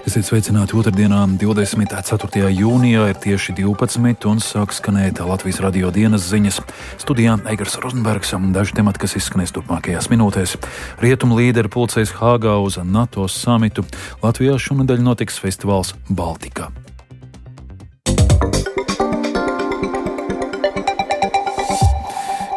Esiet sveicināti otrdienā, 24. jūnijā ir tieši 12 un sāk skanēt Latvijas radio dienas ziņas. Studijā Eigars Rozenbergs, daži temati, kas izskanēs turpmākajās minūtēs. Rietumu līderi pulcēs Hāgā uz NATO samitu. Latvijā šonedēļ notiks festivāls Baltika.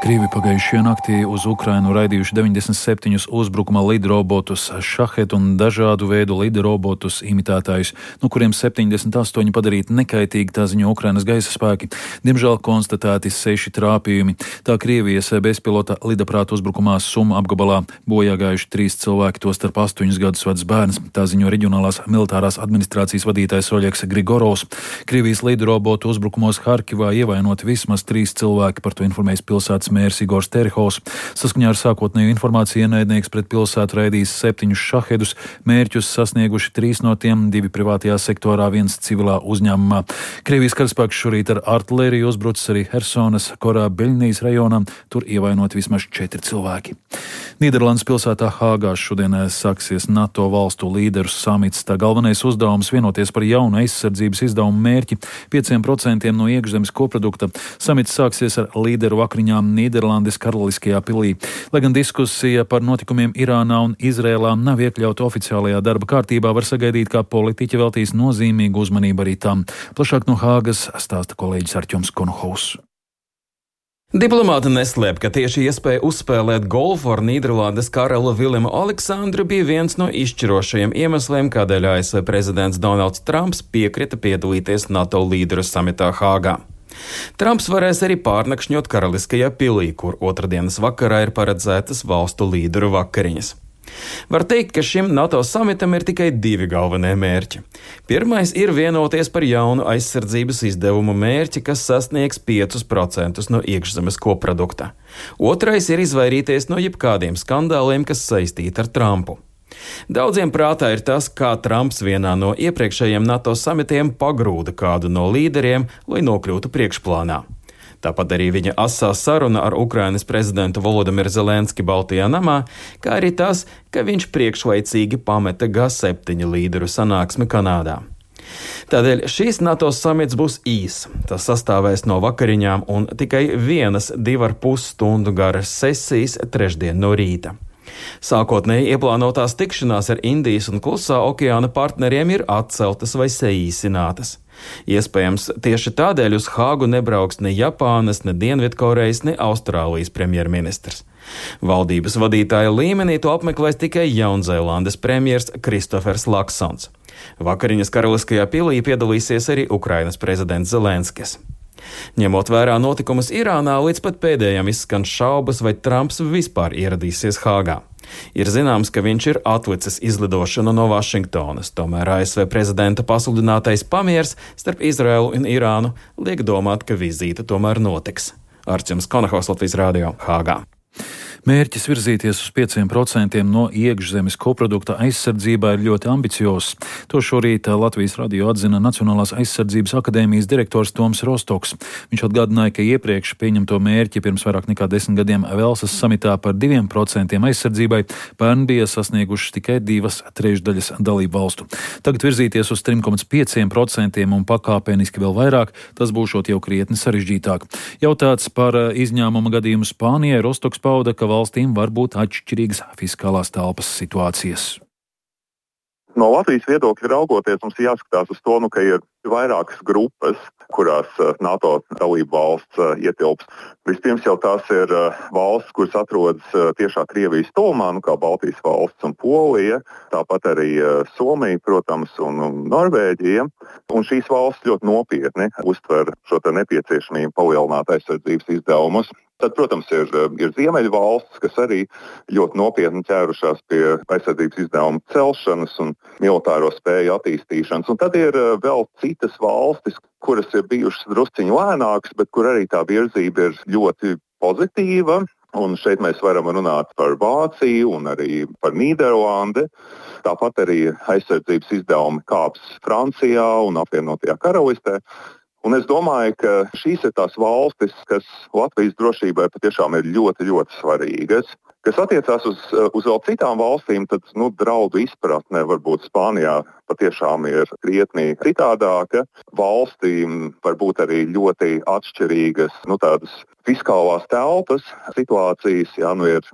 Krievi pagājušajā naktī uz Ukrainu raidījuši 97 uzbrukuma lidrobotus Šahed un dažādu veidu lidrobotus imitētājus, no kuriem 78 padarīti nekaitīgi, tā ziņo Ukrainas gaisa spēki. Diemžēl konstatēti 6 trāpījumi. Tā Krievijas bezpilota lidaprāta uzbrukumā Suma apgabalā bojā gājuši 3 cilvēki, tostarp 8 gadus vecs bērns. Tā ziņo reģionālās militārās administrācijas vadītājs Oļegs Grigorovs. Krievijas lidrobotu uzbrukumos Harkivā ievainoti vismaz 3 cilvēki, par to informējis pilsētas mērs Igors Terhovs. Saskaņā ar sākotnēju informāciju ienaidnieks pret pilsētu raidījis 7 šahedus, mērķus sasnieguši 3 no tiem, 2 privātajā sektorā, 1 civilā uzņēmumā. Krievijas karaspēks šorīt ar artilēriju uzbrucis arī Hersonas Korā Beļnijas rajonā, tur ievainot vismaz 4 cilvēki. Nīderlandes pilsētā Hāgā šodien sāksies NATO valstu līderu samits. Tā galvenais uzdevums vienoties par jaunu aizsardzības izdevumu mērķi 5% no iekšzemes koprodukta. Samits sāksies ar līderu vakariņām Nīderlandes Karaliskajā pilī. Lai gan diskusija par notikumiem Irānā un Izrēlā nav iekļauta oficiālajā darba kārtībā, var sagaidīt, ka politiķi veltīs nozīmīgu uzmanību arī tam. Plašāk no Hāgas stāsta kolēģis Artjoms Konohovs. Diplomāti neslēp, ka tieši iespēja uzspēlēt golfu ar Nīderlandes karali Vilimu Aleksandru bija viens no izšķirošajiem iemesliem, kādēļ ASV prezidents Donalds Trumps piekrita piedalīties NATO līderu samitā Hāgā. Trumps varēs arī pārnakšņot Karaliskajā pilī, kur otrdienas vakarā ir paredzētas valstu līderu vakariņas. Var teikt, ka šim NATO samitam ir tikai 2 galvenie mērķi. Pirmais ir vienoties par jaunu aizsardzības izdevumu mērķi, kas sasniegs 5% no iekšzemes koprodukta. Otrais ir izvairīties no jebkādiem skandāliem, kas saistīti ar Trumpu. Daudziem prātā ir tas, kā Trumps vienā no iepriekšējiem NATO samitiem pagrūda kādu no līderiem, lai nokļūtu priekšplānā. Tāpat arī viņa asā saruna ar Ukrainas prezidentu Volodimiru Zelenski Baltijā namā, kā arī tas, ka viņš priekšlaicīgi pameta G7 līderu sanāksmi Kanādā. Tādēļ šīs NATO samits būs īs. Tas sastāvēs no vakariņām un tikai 1,5 stundu garas sesijas trešdien no rīta. Sākotnēji ieplānotās tikšanās ar Indijas un Klusā okeāna partneriem ir atceltas vai saīsinātas. Iespējams, tieši tādēļ uz Hāgu nebrauks ne Japānas, ne Dienvidkorejas, ne Austrālijas premjerministrs. Valdības vadītāja līmenī to apmeklēs tikai Jaunzēlandes premjers Kristofers Laksons. Vakariņas Karaliskajā pilī piedalīsies arī Ukrainas prezidents Zelenskis. Ņemot vērā notikumus Irānā, līdz pat pēdējām izskan šaubas, vai Trumps vispār ieradīsies Hāgā. Ir zināms, ka viņš ir atlicis izlidošanu no Vašingtonas, tomēr ASV prezidenta pasludinātais pamiers starp Izraēlu un Irānu liek domāt, ka vizīte tomēr notiks. Artjoms Konohovs, Latvijas radio, Hāgā. Mērķis virzīties uz 5% no iekšzemes koprodukta aizsardzībā ir ļoti ambiciozs. To šorīt Latvijas radio atzina Nacionālās aizsardzības akadēmijas direktors Toms Rostoks. Viņš atgādināja, ka iepriekš pieņemto mērķi pirms vairāk nekā 10 gadiem Velsas samitā par 2% aizsardzībai pērn bija sasniegušas tikai 2/3 dalību valstu. Tagad virzīties uz 3,5% un pakāpeniski vēl vairāk, tas būšot jau krietni sarežģītāk. Jautāts par izņēmuma gadījumu Spānijai, Rostoks pauda, ka valstīm var būt atšķirīgas fiskālās telpas situācijas. No Latvijas viedokļa raugoties, mums jāskatās uz to, ka ir vairākas grupas, kurās NATO dalību valsts ietilps. Vispirms jau tās ir valsts, kuras atrodas tiešā Krievijas tuvumā, kā Baltijas valsts un Polija, tāpat arī Somija, protams, un Norvēģija. Un šīs valsts ļoti nopietni uztver šo nepieciešamību palielināt aizsardzības izdevumus. Tad, protams, ir ziemeļu valsts, kas arī ļoti nopietni ķērušās pie aizsardzības izdevumu celšanas un militāro spēju attīstīšanas. Un tad ir vēl citas valstis, kuras ir bijušas drusciņi lēnākas, bet kur arī tā virzība ir ļoti pozitīva. Un šeit mēs varam runāt par Vāciju un arī par Nīderlandi. Tāpat arī aizsardzības izdevumi kāps Francijā un apvienotajā karalistē. Un es domāju, ka šīs ir tās valstis, kas Latvijas drošībai patiešām ir ļoti, ļoti svarīgas. Kas attiecās uz vēl citām valstīm, tad draudu izpratne varbūt Spānijā patiešām ir krietni citādāka. Valstīm var būt arī ļoti atšķirīgas tādas fiskālās telpas situācijas.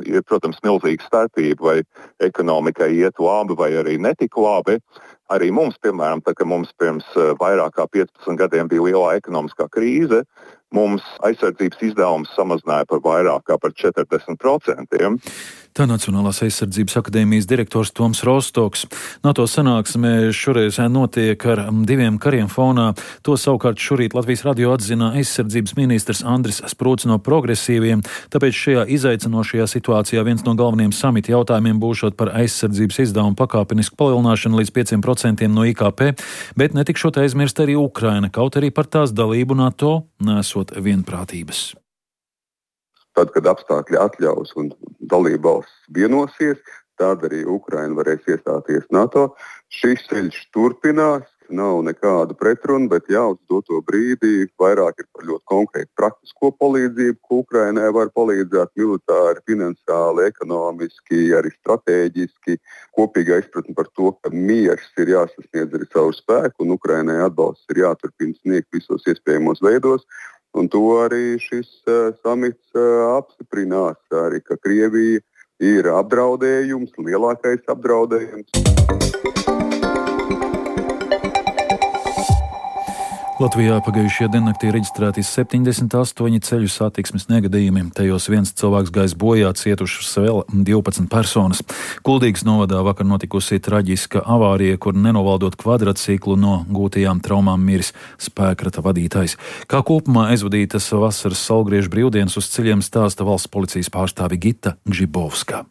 Ir, protams, milzīga starpība, vai ekonomikai iet labi vai arī netik labi. Arī mums, piemēram, tā kā mums pirms vairāk kā 15 gadiem bija lielā ekonomiskā krīze, mums aizsardzības izdevums samazināja par vairāk kā par 40%. Tā Nacionālās aizsardzības akadēmijas direktors Toms Rostoks. NATO sanāksmē šoreiz notiek ar 2 kariem fonā. To savukārt šorīt Latvijas radio atzina aizsardzības ministrs Andris Sprūts no Progresīviem. Tāpēc šajā izaicinošajā situācijā viens no galvenajiem samita jautājumiem būšot par aizsardzības izdevumu pakāpenisku palielināšanu līdz 5% no IKP, bet netikšot aizmirst arī Ukraina, kaut arī par tās dalību NATO nesot vienprātības. Tad, kad apstākļi atļaus un dalībvalstis vienosies, tad arī Ukraina varēs iestāties NATO. Šis ceļš turpinās, nav nekādu pretrunu, bet uz doto brīdī vairāk ir par ļoti konkrētu praktisko palīdzību, ko Ukrainai var palīdzēt militāri, finansiāli, ekonomiski, arī stratēģiski. Kopīga izpratne par to, ka miers ir jāsasniedz arī savu spēku un Ukrainai atbalsts ir jāturpina sniegt visos iespējamos veidos. Un to arī šis samits apstiprinās, arī ka Krievija ir apdraudējums, lielākais apdraudējums. Latvijā pagājušajā diennaktī reģistrēti 78 ceļu satiksmes negadījumi. Tajos viens cilvēks gājis bojā, cietušas vēl 12 personas. Kuldīgas novadā vakar notikusi traģiska avārija, kur nenovaldot kvadrciklu no gūtajām traumām miris spēkrata vadītājs. Kā kopumā aizvadītas vasaras saulgriežu brīvdienas uz ceļiem stāsta valsts policijas pārstāve Gita Gžibovska.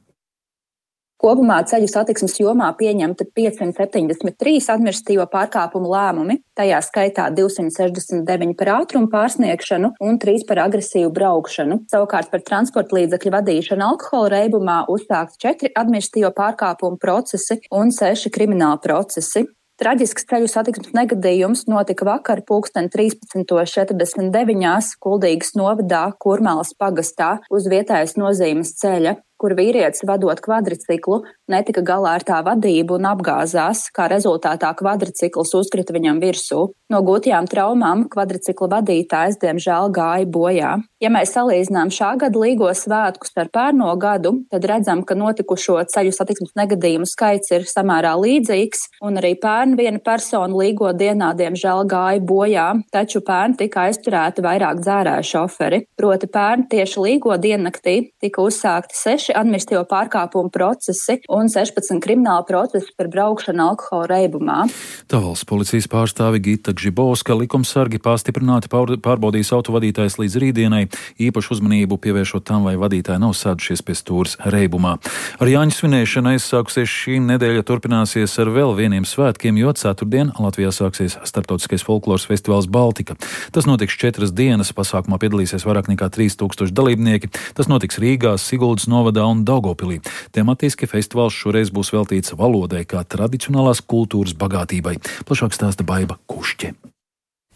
Kopumā ceļu satiksmes jomā pieņemta 573 administratīvo pārkāpumu lēmumi, tajā skaitā 269 par ātrumu pārsniegšanu un 3 par agresīvu braukšanu. Savukārt par transporta līdzekļu vadīšanu alkohola reibumā uzsākti 4 administratīvo pārkāpumu procesi un 6 krimināli procesi. Traģisks ceļu satiksmes negadījums notika vakar 13:49 Kuldīgas novadā Kurmālas pagastā uz vietējas nozīmes ceļa, kur vīrietis vadot kvadriciklu netika galā ar tā vadību un apgāzās, kā rezultātā kvadricikls uzkrita viņam virsū. No gūtajām traumām kvadricikla vadītājs diemžēl gāja bojā. Ja mēs salīdzinām šā gada līgo svētkus ar pērno gadu, tad redzam, ka notikušo ceļu satiksmes negadījumu skaits ir samērā līdzīgs, un arī pērn viena persona līgo dienā diemžēl gāja bojā, taču pērn tika aizturēti vairāk dzērāju šoferi. Proti pērn tieši līgo diennaktī tika uzsākti 6 administratīvo pārkāpumu procesi un 16 krimināli procesi par braukšanu alkohola reibumā. Tā valsts policijas pārstāve Gita Gžibovska. Likumsargi pastiprināti pārbaudīs autovadītājs līdz rītdienai, īpašu uzmanību pievēršot tam, vai vadītāji nav sēdušies pie stūres reibumā. Ar Jāņu svinēšanu aizsākusies šī nedēļa turpināsies ar vēl vieniem svētkiem, jo ceturtdien Latvijā sāksies starptautiskais folkloras festivāls Baltika. Tas notiks 4 dienas, pasākumā piedalīsies vairāk nekā 3000 dalībnieki. Tas notiks Rīgā, Siguldas novadā un Daugavpilī. Tematiski festivāls šoreiz būs veltīts valodai kā tradicionālās kultūras bagātībai. Plašāk stāsta Baiba Kušķe.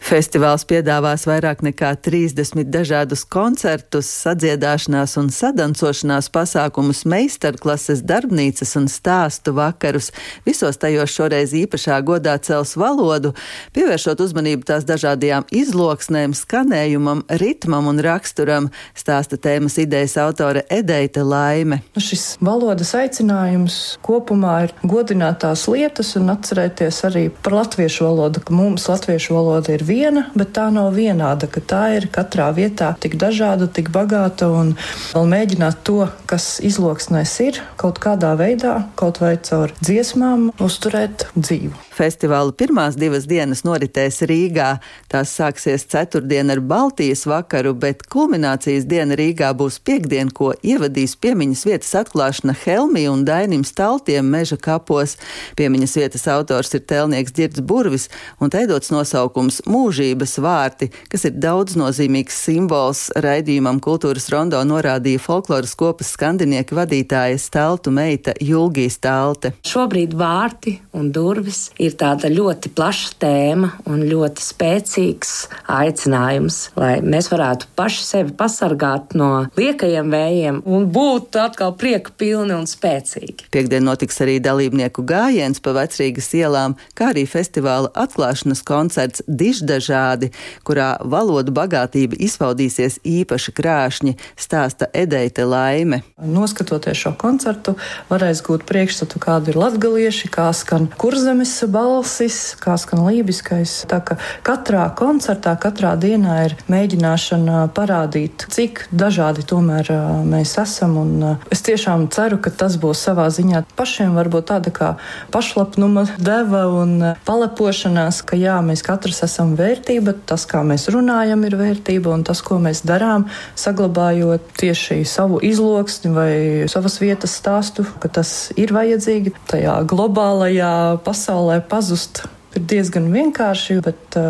Festivāls piedāvās vairāk nekā 30 dažādus koncertus, sadziedāšanās un sadancošanās pasākumus, meistarklases, darbnīcas un stāstu vakarus. Visos tajos šoreiz īpašā godā cels valodu, pievēršot uzmanību tās dažādajām izloksnēm, skanējumam, ritmam un raksturam, stāsta tēmas idejas autore Edeita Laime. Šis valodas aicinājums kopumā ir godināt tās lietas un atcerēties arī par latviešu valodu, ka mums latviešu valoda ir viena, bet tā nav vienāda, ka tā ir katrā vietā tik dažāda, tik bagāta un vēl mēģināt to, kas izloksnēs ir, kaut kādā veidā, kaut vai caur dziesmām, uzturēt dzīvu. Festivāla pirmās 2 dienas noritēs Rīgā. Tās sāksies ceturtdien ar Baltijas vakaru, bet kulminācijas diena Rīgā būs piektdien, ko ievadīs piemiņas vietas atklāšana Helmija un Dainim Staltiem Meža kapos. Piemiņas vietas autors ir tēlnieks Ģirds Burvis un teidots nosaukums Mūžības vārti, kas ir daudznozīmīgs simbols. Raidījumam Kultūras rondo norādīja folkloras kopas skandinieka vadītāja Staltu meita Julgija Stalte. Šobrīd vārti un durvis ir ir tāda ļoti plaša tēma un ļoti spēcīgs aicinājums, lai mēs varētu paši sevi pasargāt no liekajiem vējiem un būt atkal prieka pilni un spēcīgi. Piektdien notiks arī dalībnieku gājiens pa Vecrīgas ielām, kā arī festivāla atklāšanas koncerts Diždažādi, kurā valodu bagātība izpaudīsies īpaši krāšņi, stāsta Edeite Laime. Noskatoties šo koncertu, varēs gūt priekšstatu, kādi ir latgalieši, kā skan kurzemes balsis, kā skan lībiskais. Tā ka katrā koncertā, katrā dienā ir mēģināšana parādīt, cik dažādi tomēr mēs esam. Un es tiešām ceru, ka tas būs savā ziņā pašiem varbūt tāda kā pašlapnuma deva un palepošanās, ka jā, mēs katrs esam vērtība, tas, kā mēs runājam, ir vērtība, un tas, ko mēs darām, saglabājot tieši savu izloksni vai savas vietas stāstu, ka tas ir vajadzīgi tajā globālajā pasaulē pazust. Ir diezgan vienkārši, bet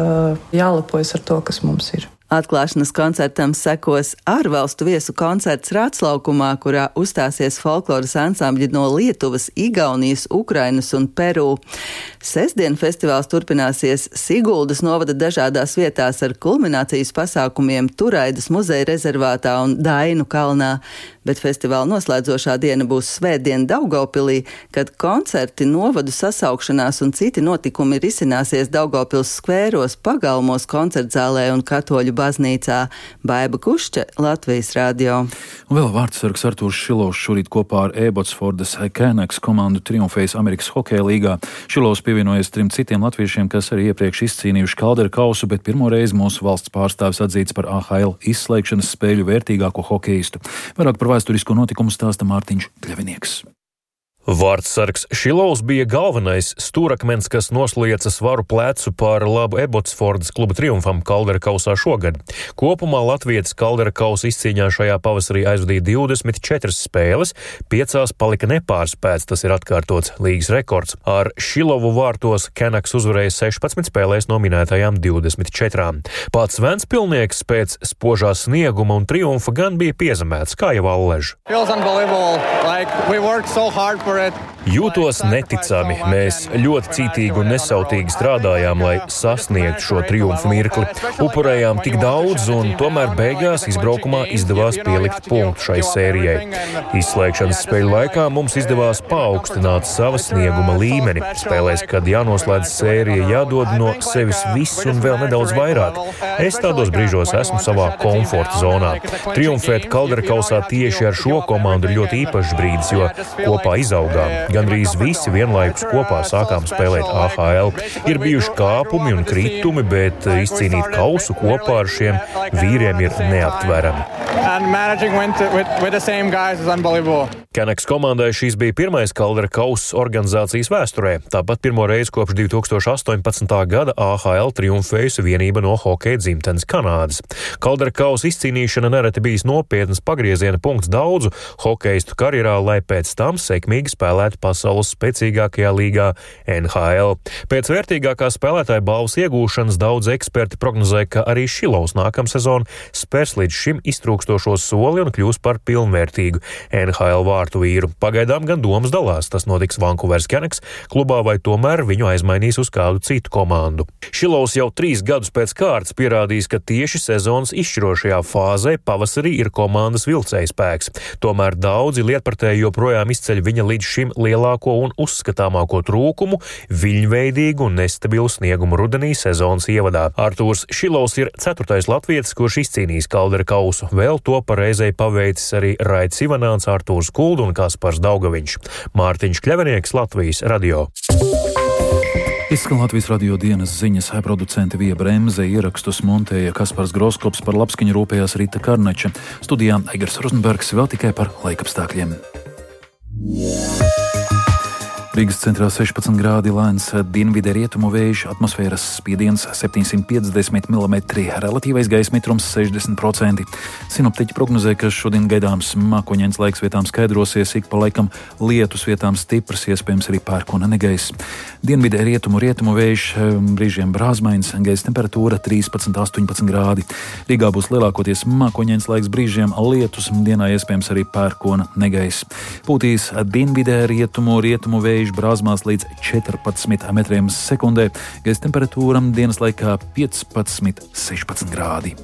jālepojas ar to, kas mums ir. Atklāšanas koncertam sekos ārvalstu viesu koncerts Rātslaukumā, kurā uzstāsies folkloras ansambļi no Lietuvas, Igaunijas, Ukrainas un Peru. Sestdien festivāls turpināsies Siguldas novada dažādās vietās ar kulminācijas pasākumiem Turaidas muzeja rezervātā un Dainu kalnā, bet festivāla noslēdzošā diena būs svētdien Daugavpilī, kad koncerti, novadu sasaukšanās un citi notikumi risināsies Daugavpils skvēros, pagalmos, koncertzālē un katoļu baznīcā. Baiba Kušķa, Latvijas radio. Un vēl vārdsargs Artūrs Šilovs šorīt kopā ar Ebotsfordas Canucks komandu triumfējis Amerikas hokeja līgā. Šilovs pievienojies 3 citiem latviešiem, kas arī iepriekš izcīnījuši Kaldera kausu, bet pirmo reizi mūsu valsts pārstāvis atzīts par AHL izslēgšanas spēļu vērtīgāko hokeistu. Vairāk par vēsturisko notikumu stāsta Mārtiņš Kļavinieks. Vārdsargs Šilovs bija galvenais stūrakmens, kas noslieca svaru plecu par labu Ebotsfordas kluba triumfam Kaldera kausā šogad. Kopumā latvietis Kaldera kausa izcīņā šajā pavasarī aizvadīja 24 spēles, 5 palika nepārspēts, tas ir atkārtots līgas rekords. Ar Šilovu vārtos Canucks uzvarēja 16 spēlēs no minētajām 24. Pats Ventspilnieks pēc spožā snieguma un triumfa gan bija piezemēts, kā jau Allež. Jūtos neticami. Mēs ļoti cītīgi un nesautīgi strādājām, lai sasniegtu šo triumfu mirkli. Upurējām tik daudz, un tomēr beigās izbraukumā izdevās pielikt punktu šai sērijai. Izslēgšanas spēļu laikā mums izdevās paaugstināt sava snieguma līmeni. Spēlēs, kad jānoslēdz sērija, jādod no sevis viss un vēl nedaudz vairāk. Es tādos brīžos esmu savā komforta zonā. Triumfēt Kaldera kausā tieši ar šo komandu ir ļoti īpašs brīdis, jo kopā izaugām. Gandrīz visi vienlaikus kopā sākām spēlēt AHL. Ir bijuši kāpumi un kritumi, bet izcīnīt kausu kopā ar šiem vīriem ir neaptverami. Canucks komandai šīs bija pirmais Kaldera kauss organizācijas vēsturē. Tāpat pirmo reizi kopš 2018. gada AHL triumfējusi vienība no hokeja dzimtenes Kanādas. Kaldera kausa izcīnīšana nereti bijis nopietnas pagrieziena punkts daudzu hokeistu karjerā, lai pēc tam sekmīgi spēlētu pasaules spēcīgākajā līgā NHL. Pēc vērtīgākā spēlētāja balvas iegūšanas daudz eksperti prognozē, ka arī Šilovs nākamsezon spērs līdz šim iztrūkstošo soli un kļūs par pilnvērtīgu NHL vārtu vīru. Pagaidām gan domas dalās, tas notiks Vancouveras Canucks klubā vai tomēr viņu aizmainīs uz kādu citu komandu. Šilovs jau 3 gadus pēc kārtas pierādījis, ka tieši sezonas izšķirošajā fāzē pavasarī ir komandas vilcējspēks. Tomēr daudzi lietpratēji joprojām izceļ viņa līdz šim lielāko un uzskatāmāko trūkumu - viļņveidīgu un nestabilu sniegumu rudenī sezonas ievadā. Artūrs Šilovs ir 4. latvietis, kurš izcīnījis Kaldera kausu. Vēl to pareizai paveicis arī Raits Ivanāns, Artūrs Kuldu un Kaspars Daugaviņš. Mārtiņš Kļavinieks, Latvijas radio. Izskan Latvijas radio dienas ziņas, producente Vija Bremze, ierakstus montēja Kaspars Groskops, par labskaņu rūpējās Rita Karneča. Studijā Eigars Rozenbergs, vēl tikai par laikapstākļiem. Rīgas centrā 16 grādi, lēns dienvidē rietumu vējš, atmosfēras spiediens 750 mm, relatīvais gaisa mitrums 60%. Sinoptiķi prognozē, ka šodien gaidāms mākoņains laiks, vietām skaidrosies, ik pa laikam lietus, vietām stiprs, iespējams arī pērkona negaiss. Dienvidē rietumu vējš, brīžiem brāzmains, gaisa temperatūra 13–18 grādi. Rīgā būs lielākoties mākoņains laiks, brīžiem lietus, dienā iespējams arī pērkona negaiss. Pūtīs dienvidē rietumu vējš, vējš brāzmās līdz 14 metriem sekundē, gaisa temperatūra dienas laikā 15–16 grādi.